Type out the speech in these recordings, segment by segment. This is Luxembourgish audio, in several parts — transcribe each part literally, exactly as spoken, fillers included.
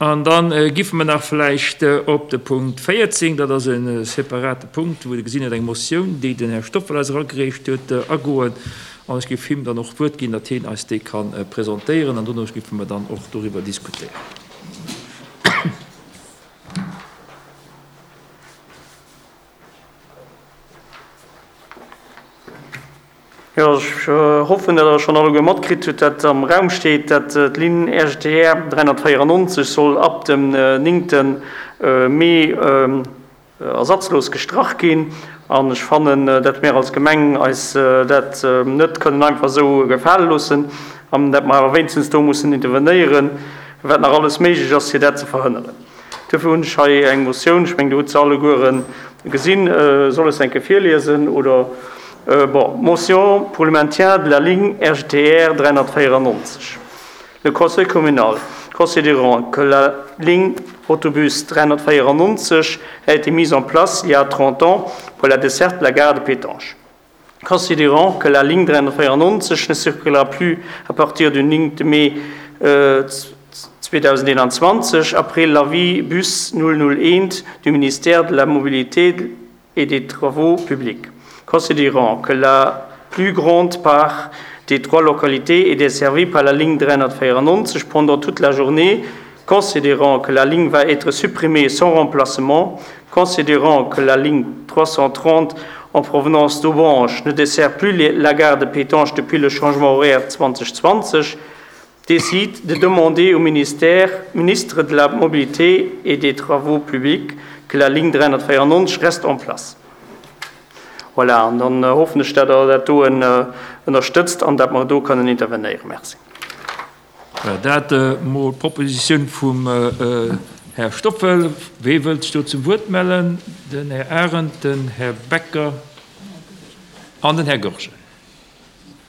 An dann giffe mer nach vläicht op de Punkt véierzéng, dat ass e separate Punkt, wou Der gesinn hutt, eng Motioun, déi den Här Stoffel eis eragereecht huet, agoen. An ech géif him dann och d'Wuert ginn, datt hien eis déi ka presentéieren. An dono giffe mer dann och doriwwer diskutéieren. Jo, ech hoffen, datt Der schonn alleguer matkritt hutt, datt am Raum steet, datt d'Linn R G T R dräihonnertvéierannonzeg soll ab dem néngte Mee ersatzlos gestrach ginn. An ech fannen, datt mir als Gemeng eis dat net kënnen einfach esou gefale loossen an datt mer awer wéinstens do mussen intervenéieren, wat nach alles méiglech ass, fir dat ze verhënneren. Dofir hunn ech hei eng Motioun, ech mengen, Dir hutt se alleguere gesinn. Soll ech se eng Kéier virliesen oder? Bon, Motion pour le maintien de la ligne R G T R dräihonnertvéierannonzeg. Le Conseil communal, considérant que la ligne autobus dräihonnertvéierannonzeg a été mise en place il y a trente ans pour la desserte de la gare de Pétange. Considérant que la ligne dräihonnertvéierannonzeg ne circulera plus à partir du néngte mai zweedausendeenanzwanzeg après l'avis bus null null eent du ministère de la Mobilité et des Travaux publics. Considérant que la plus grande part des trois localités est desservie par la ligne dräihonnertvéierannonzeg pendant toute la journée, considérant que la ligne va être supprimée sans remplacement, considérant que la ligne trois cent trente en provenance d'Aubange ne dessert plus la gare de Pétange depuis le changement horaire zweedausendzwanzeg, décide de demander au ministère, ministre de la Mobilité et des Travaux publics que la ligne dräihonnertvéierannonzeg reste en place. Voilà, an dann hoffen ech, datt Der dat do ënnerstëtzt an datt mer do kënnen intervenéieren. Merci. Dat mol d'Propositioun vum Här Stoffel. Wee wëllt sech do zum Wuert mellen? Den Här Arendt, den Här Becker an den Här Goergen.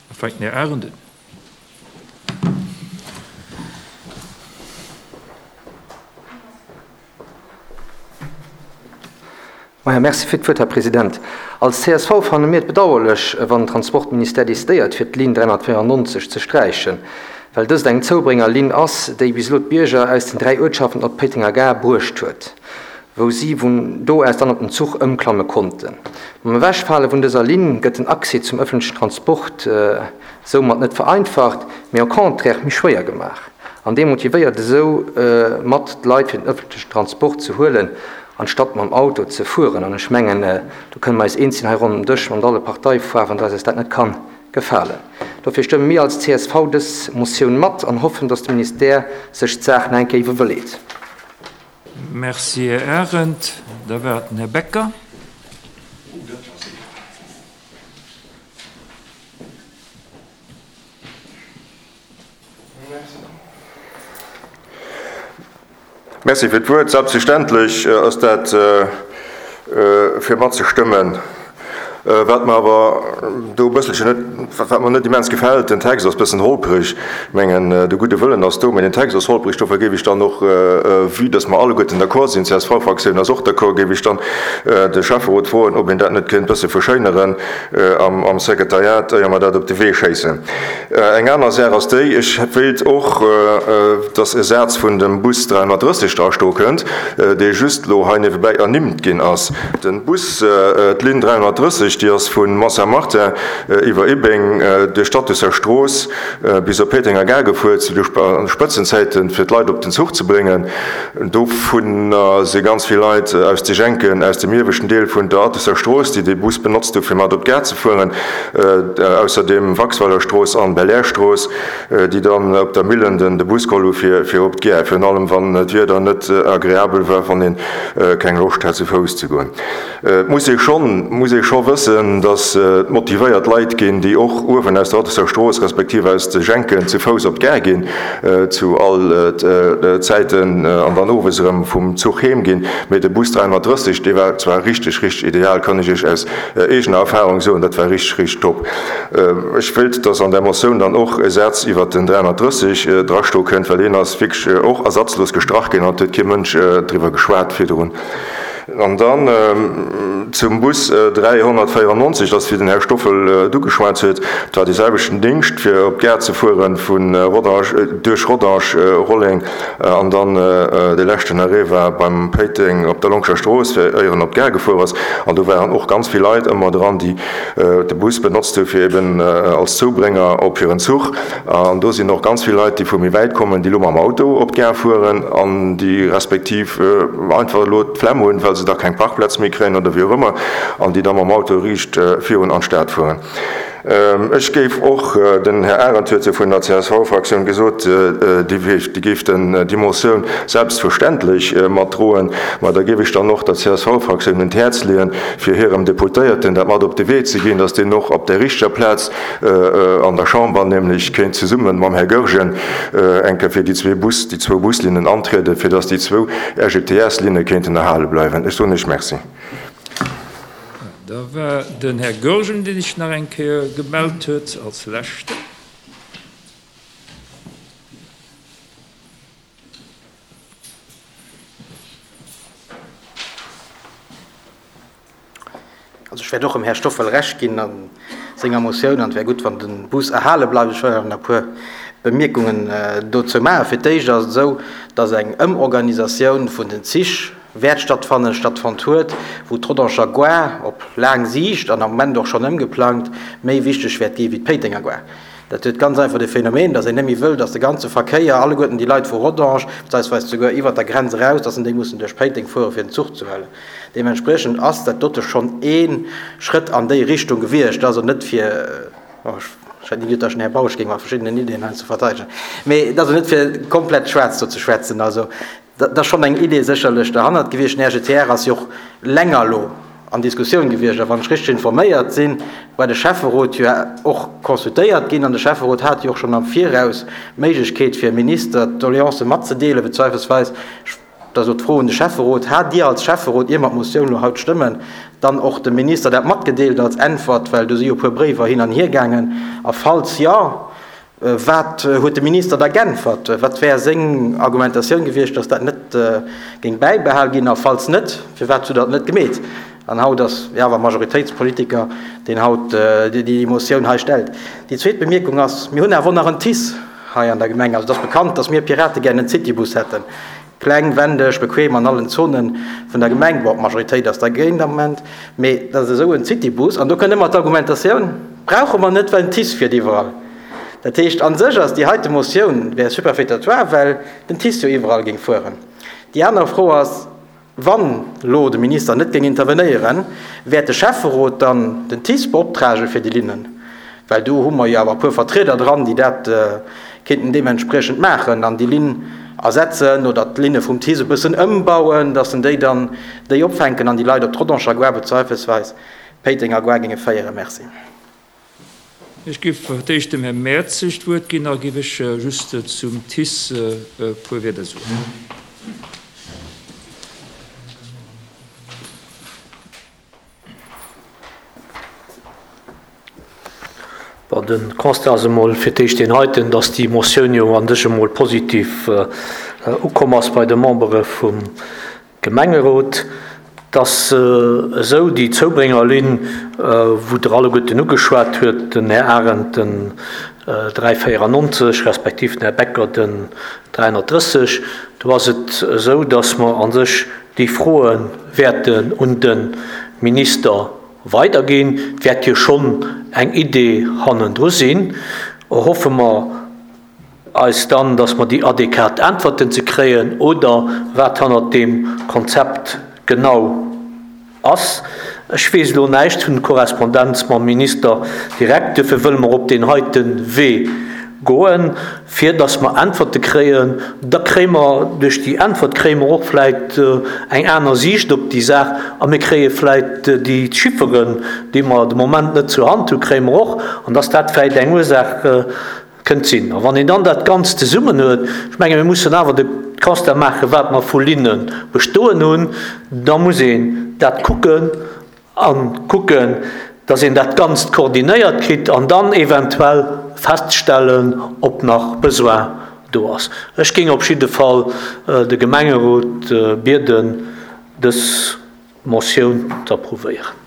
Da fänkt den Här Arendt un. Maja, merci fir d'Wuert, Här President. Als C S V fanne mir et bedauerlech, wann den Transportministère decidéiert, fir d'Linn dräihonnertvéierannonzeg ze sträichen, well dëst eng Zoubréngerlinn ass, déi bis elo d'Bierger aus den dräi Uertschaften op d'Péitenger Gare bruecht huet, wou si vun do aus dann op den Zuch ëmklamme konnten. Mam Ewechfale vun dëser Linn gëtt den Accès zum ëffentlechen Transport soumat net vereinfacht, mee au contraire méi schwéier gemaach an demotivéiert esou mat d'Leit, fir den ëffentlechen Transport ze huelen, anstatt mam Auto ze fueren. An ech mengen, do kënne mer eis eens sinn hei ronderëm Dësch mat alle Parteifaarwen, dass eis dat net kann gefalen. Dofir stëmme mir als C S V dës Motioun mat an hoffen, dass de Ministère sech d'Saach nach eng Kéier iwwerleet. Merci, Här Arendt. Da war et den Här Becker. Merci fir d'Wuert. Selbstverständlech ass dat fir matzestëmmen. Wat mer awer do e bësselchen net, wat mer net immens gefält, den Text ass e bëssen holpreg. Ech mengen, de gudde Wëllen ass do, mä den Text ass holpreg. Dofir géif ech dann och, vue dass mer alleguerten d'accord sinn, d'C S V-Fraktioun ass och d'accord, géif ech dann de Schäfferot froen, ob een dat net kéint e bësse verschéineren am Sekretariat, éier mer dat op de Wee schéissen. Eng aner Saach ass déi, ech wéilt och, dass e Saz vun dem Bus dräihonnertdrësseg dra stoe kënnt, dee just elo hei niewebäi ernimmt ginn ass. Den Bus, d'Linn dräihonnertdrësseg, déi ass vu Mont-Saint-Martin iwwer Ibbeng duerch d'Attusser Strooss bis op Péitenger Gare gefuer, zu de Spëtzenzäiten, fir d'Leit op den Zuch ze bréngen. Dovunner si ganz vill Leit aus de Jenken, aus dem ieweschten Deel vun der Attusser Strooss, déi dee Bus benotzt hu fir mat op d'Gare ze fueren, ausserdeem Waxweilerstrooss an Belair-Strooss, déi dann op der Millen de Bus geholl hu fir op d'Gare, virun allem wann d'Wieder net agreabel war, wann ee keng Loscht hat zu Fouss ze goen. Et muss ee schonn, muss ee scho wëssen, datt et motivéiert Leit ginn, déi och uewen aus der Attersser Strooss respektiv aus de Jenken zu Fouss op d'Gare ginn, zu all Zäiten, an dann owes erëm vum Zuch heem ginn. Mee de Bus dräihonnertdrësseg, dee war zwar richteg, richteg ideal, kann ech Iech aus eegener Erfahrung soen, dat war richteg, richteg top. Ech wéilt, datt an där Motioun dann och e Saz iwwert den dräihonnertdrësseg drastoe kënnt, well deen ass wierklech och ersatzlos gestrach ginn an et huet kee Mënsch driwwer geschwat virdrun. An dann zum Bus dräihonnertvéierennonzeg, dat ass wéi den Här Stoffel et ugeschwat huet, dat war dee selwechten Dingscht, fir op d'Gare ze fuere vu Rodange, duerch Rodange, Rolleng an dann de leschten Arrêt war beim Péiteng op der Longscher Strooss, fir éier en op d'Gare gefuer ass. An do waren och ganz vill Leit ëmmer dran, déi de Bus benotzt hu fir eben als Zoubrénger op hiren Zuch. An do sinn och ganz vill Leit, déi vu méi wäit kommen, déi elo mam Auto op d'Gare fueren an déi respektiv einfach elo d'Flemm hunn, well se da keng Parkplaz méi kréien oder wéi och ëmmer, an déi da mam Auto riicht virun an d'Stad fueren. Ech géif och, den Här Arendt huet jo vun der C S V-Fraktioun gesot, déi géif déi Motioun selbstverständlech matdroen, ma da géif ech dann och der C S V-Fraktioun un d'Häerz leeën, fir hirem Deputéierten dat mat op de Wee ze ginn, datt deen och op der richteger Plaz an der Chamber, nämlech kéint zesumme mam Här Goergen eng Kéier fir déi zwee Bus, déi zwou Buslinnen antrieden, fir datt déi zwou R G T S-Linne kéinten erhale bleiwen. Ech soen Iech Merci. Da war den Här Goergen, deen sech nach eng Kéier gemellt huet, als Leschten. Also ech wäert och dem Här Stoffel Recht ginn a senger Motioun, an et wär gutt, wann de Bus erhale bleift. Ech wëll awer nach e puer Bemierkungen dozou maachen. Fir d'éischt ass et esou, dass eng Ëmorganisatioun vun den Zich wäert stattfannen, stattfonnt huet, wou d'Rodanger Gare op laang Siicht an am Moment och schonn ëmgeplangt méi wichteg wäert gi wéi d'Péitenger Gare. Dat huet ganz einfach de Phänomen, dass een net méi wëll, dass de ganze Verkéier, alleguerten déi Leit vu Rodange, beziehungsweise souguer iwwert der Grenz eraus, dass en déi mussen duerch Péiteng fuere fir den Zuch ze huelen. Deementspriechend ass dat dote schonn ee Schrëtt an déi Richtung gewiescht, also net fir, oh, ech hätt ni geduet, dass den Här Bausch géing mat verschiddenen Ideen hei ze verteidegen, mee et ass net fir komplett schwaarz do ze schwätzen, also dat ass schonn eng Idee sécherlech derhannert gewiescht. Den R G T R ass jo och länger elo an Diskussioun gewiescht, a wann ech richteg informéiert sinn, war de Schäfferot jo och consultéiert ginn, an de Schäfferot hat jo och schonn am Viraus d'Méiglechkeet fir Minister d'Doléancë matzedeelen, beziehungsweise dat ass elo d'Fro un de Schäfferot, hat Dir als Schäfferot, ier mer d'Motioun elo haut stëmmen, dann och dem Minister dat matgedeelt als Äntwert, well do si jo e puer Bréiwer hin an hier gaangen, a falls ja, wat huet de Minister da geäntwert? Wat wär seng Argumentatioun gewiescht, dass dat net géing bäibehal ginn, a falls net, firwat huet dat net gemeet? An haut ass jo awer Majoritéitspolitiker, deen haut déi Motioun hei stellt. Déi zweet Bemierkung ass, mir hunn awer och nach en T I S hei an der Gemeng. Also et ass bekannt, dass mir Pirate gären en Citybus hätten. Kleng, wendeg, bequem an allen Zonen vun der Gemeng. Bon, d'Majoritéit ass dergéint am Moment, mee dat ass esou en Citybus. An do kënnt ëmmer d'Argumentatioun, brauche mer net, well den T I S fiert iwwerall. Dat heescht, an sech ass déi heite Motioun wär superfétatoire, well den T I S jo iwwerall géing fueren. Déi aner Fro ass, wann lo de Minister net géing intervenéieren, wäert de Schäfferot dann den T I S beoptragen fir déi Linnen? Well do hu mer jo awer e puer Vertrieder dran, déi dat kéinten deementspriechend maachen an déi Linn ersetzen oder d'Linne vum T I S e bëssen ëmbauen, dass en déi dann déi opfänken an déi Leit op d'Rodanger Gare beziehungsweise Péitenger Gare géinge féieren. Merci. Ech géif fir d'éischt dem Här Mertzig d'Wuert ginn, da géif ech just zum T I S e puer Wierder soen. Bon, de Constat ass emol fir d'éischt deen heiten, dass déi Motioun jo an sech emol positiv ukomm ass bei de Membere vum Gemengerot, dass esou déi Zoubréngerlinn, wou der alleguerten ugeschwat huet, den Här Arendt den dräi véierennonzeg respektiv den Här Becker den dräihonnertdrësseg, do ass et esou, dass mer an sech déi Froe wäerten un de Minister weiderginn. Et wäert jo schonn eng Idee hannendru sinn. Hoffe mer eis dann, dass mer déi adäquat Äntwerten ze kréien oder wat hannert dem Konzept genau ass. Ech weess elo näischt vun Korrespondenz mam Minister direkt, dofir wëlle mer op deen heite Wee goen, fir dass mer Äntwerte kréien. Da kréie mer duerch déi Äntwert kréie mer och vläicht eng aner Siicht op déi Saach a mir kréie vläicht déi Chifferen, déi mer de Moment net zur Hand hunn, kréie mer och, an dass dat vläicht eng Ursaach kënnt sinn. A wann een dann dat Ganzt zesummen huet, ech menge mir mussen awer de Constat maachen, wat mer vu Linne bestoen hunn, da muss een dat kucken an kucken, dass een dat Ganzt koordinéiert kritt an dann eventuell feststellen, ob nach Besoin do ass. Ech géing op jidde Fall de Gemengerot bieden, dës d'Motioun z'approuvéieren.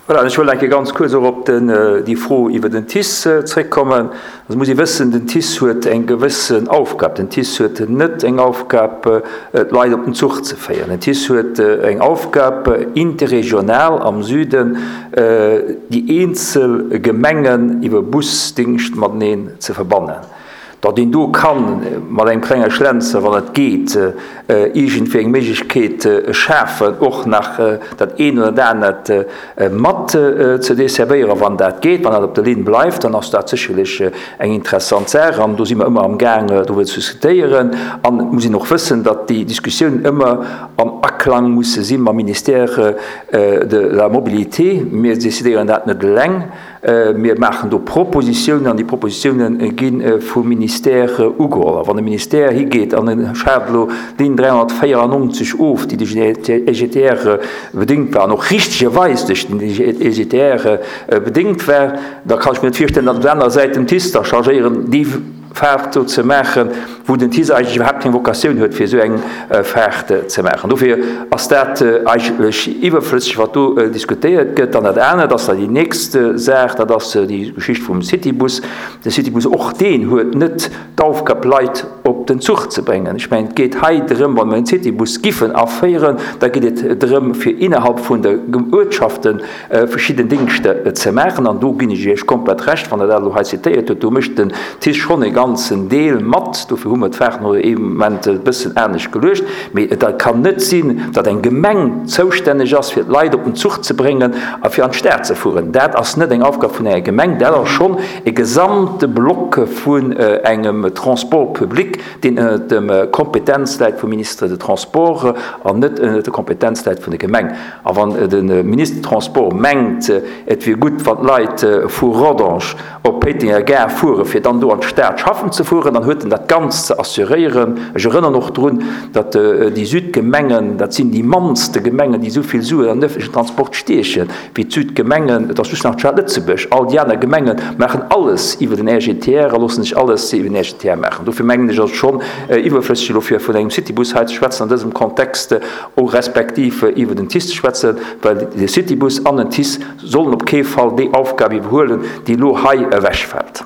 Voilà, an ech wëll eng Kéier ganz kuerz och op den, déi Fro iwwer den TICE zréckkommen. Also muss ee wëssen, den TICE huet eng gewëssen Aufgab. Den TICE huet net eng Aufgab, d'Leit op den Zuch ze féieren. Den TICE huet eng Aufgab, interregional am Süden déi eenzel Gemengen iwwer Busdingscht mateneen ze verbannen. Datt een do kann mat engem klenge Schlenzer, wann et geet, iergendwéi eng Méiglechkeet schafen, och nach dat eent oder dat anert mat ze desservéieren, wann dat geet, wann dat op der Linn bleift, dann ass dat sécherlech eng interessant Saach. An do si mer ëmmer amgaang, driwwer ze diskutéieren. An et muss een och wëssen, datt déi Diskussiounen ëmmer am Aklang musse si mam Ministère de la Mobilité. Mir decidéieren dat net eleng. Mir maachen do Propositiounen an déi Propositiounen gi vum Ministère ugeholl. A wann de Ministère higeet an e schaaft elo d'Linn dräihonnertvéierannonzeg of, déi duerch den E G T R bedéngt war an och richtegerweis duerch den E G T R bedéngt war, da kann ech mir net virstellen, datt op der anerer Säit den TICE da chargéieren, déi Faart do ze maachen, wou den TICE eigentlech iwwerhaapt keng Vocatioun huet, fir esou eng Faart ze maachen. Dofir ass dat eigentlech iwwerflësseg, wat do diskutéiert gëtt. Dann dat anert ass da déi nächst Saach, dat ass déi Geschicht vum Citybus. De Citybus, och deen huet net d'Aufgab, Leit op den Zuch ze bréngen. Ech mengen, et geet hei drëm, wa mer en Citybus giffen aféieren, da geet et drëm, fir innerhalb vun de Uertschaften verschidden Dingschter ze maachen. An do ginn ech Iech komplett Recht, wann Der dat elo hei zitéiert hutt, do mécht den TICE schonn e ganzen Deel mat. Dofir hu mer d'Faarten och ee Moment e bëssen anescht geluecht. Mee et kann net sinn, datt eng Gemeng zoustänneg ass, fir d'Leit op den Zuch ze bréngen a fir an d'Stad ze fueren. Dat ass net eng Aufgab vun enger Gemeng, dat ass schonn e gesamte Block vun engem Transport public, deen ënnert dem Kompetenz läit vum Ministre de Transports an net ënnert der Kompetenz läit vun der Gemeng. A wann de Ministre de Transports mengt, et wier gutt, wann d'Leit vu Rodange op Péitenger Gare fueren, fir dann do an d'Stad schaffen ze fueren, dann huet en dat Ganzt ze assuréieren. Ech erënnern och drun, datt déi Südgemengen, dat sinn déi mannste Gemengen, déi esou vill Suen an den öffentlichen Transport stiechen wéi d'Südgemengen. Et ass just nach d'Stad Lëtzebuerg. All déi aner Gemenge maachen alles iwwer den R G T R a loosse sech alles iwwer den R G T R maachen. Dofir mengen ech, ass et schonn iwwerflësseg, elo fir vun engem Citybus hei ze schwätzen an dësem Kontext, respektiv iwwer den TICE ze schwätzen, well de Citybus an den TICE sollen op kee Fall déi Aufgab iwwerhuelen, déi elo hei ewechfält.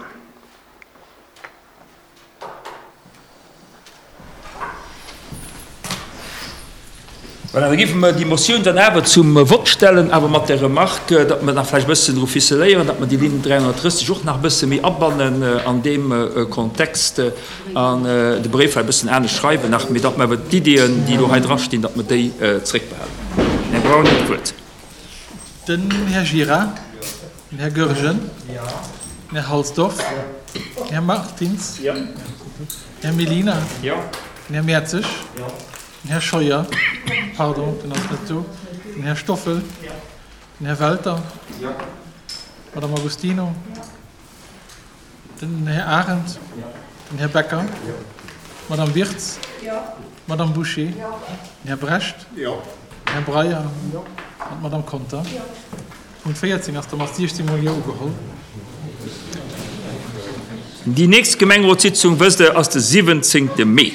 Voilà, da géife mer déi Motioun dann awer zum Vott stellen, awer mat der Remarque, datt mer nach vläicht e bëssen dru ficeléieren, datt mer déi Linn dräihonnertdrësseg och nach e bësse méi abannen an deem Kontext an de Bréif vläicht e bëssen anescht schreiwen nach, mee datt mer awer d'Iddien, déi elo hei drastinn, datt mer déi zréckbehalen. Här Braun huet d'Wuert. Den Här Gira, den Här Goergen, den Här Halsdorf, den Här Martins, den Här Mellina, den Här Mertzig, den Här Scheuer, pardon, den ass net do, den Här Stoffel, den Här Welter, d'Madame Agostino, den Här Arendt, den Här Becker, d'Madame Wirtz, d'Madame Bouché, den Här Brecht, den Här Breyer an d'Madame Conter. Punkt véierzéng ass da mat siechzéng mol Jo ugeholl. Déi nächst Gemengerotssitzung, wësst Der, ass de siwwenzéngte Mee.